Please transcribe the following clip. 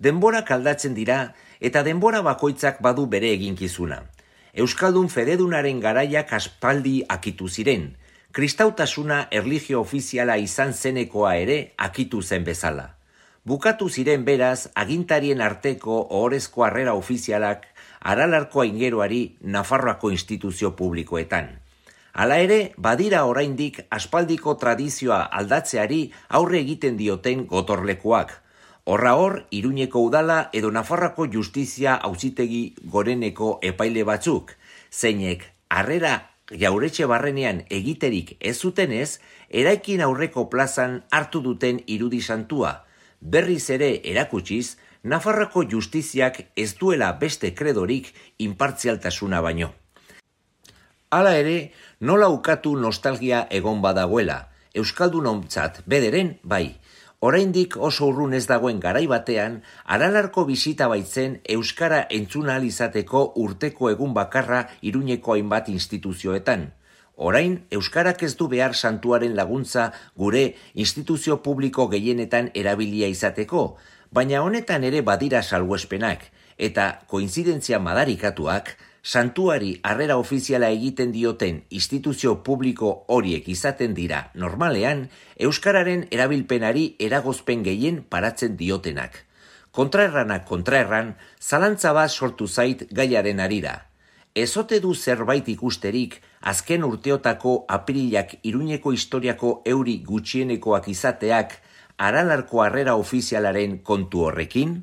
Denborak aldatzen dira eta denbora bakoitzak badu bere eginkizuna. Euskaldun fededunaren garaiak aspaldi akitu ziren, kristautasuna erlijio ofiziala izan zenekoa ere akitu zen bezala. Bukatu ziren beraz agintarien arteko ohorezko harrera ofizialak Aralarko aingeroari Nafarroako instituzio publikoetan. Hala ere, badira oraindik aspaldiko tradizioa aldatzeari aurre egiten dioten gotorlekuak. Horra hor, Iruñeko udala edo Nafarroako justizia auzitegi goreneko epaile batzuk, zeinek harrera Jauretxe barrenean egiterik ez zutenez, eraikin aurreko plazan hartu duten irudi santua, berriz ere erakutsiz, Nafarroako justiziak ez duela beste kredorik inpartzialtasuna baino. Hala ere, nola ukatu nostalgia egon badagoela, euskaldunontzat bederen bai. Oraindik oso urrun ez dagoen garai batean, Aralarko bisita baitzen euskara entzuna ahal izateko urteko egun bakarra Iruñeko hainbat instituzioetan. Orain, euskarak ez du behar santuaren laguntza gure instituzio publiko gehienetan erabilia izateko, baina honetan ere badira salbuespenak, eta koinzidentzia madarikatuak, santuari harrera ofiziala egiten dioten instituzio publiko horiek izaten dira normalean, euskararen erabilpenari eragozpen gehien paratzen diotenak. Kontraerranak kontraerran, zalantza bat sortu zait gaiaren harira. Ezote du zerbait ikusterik azken urteotako apirilak Iruñeko historiako euri gutxienekoak izateak Aralarko harrera ofizialaren kontu horrekin?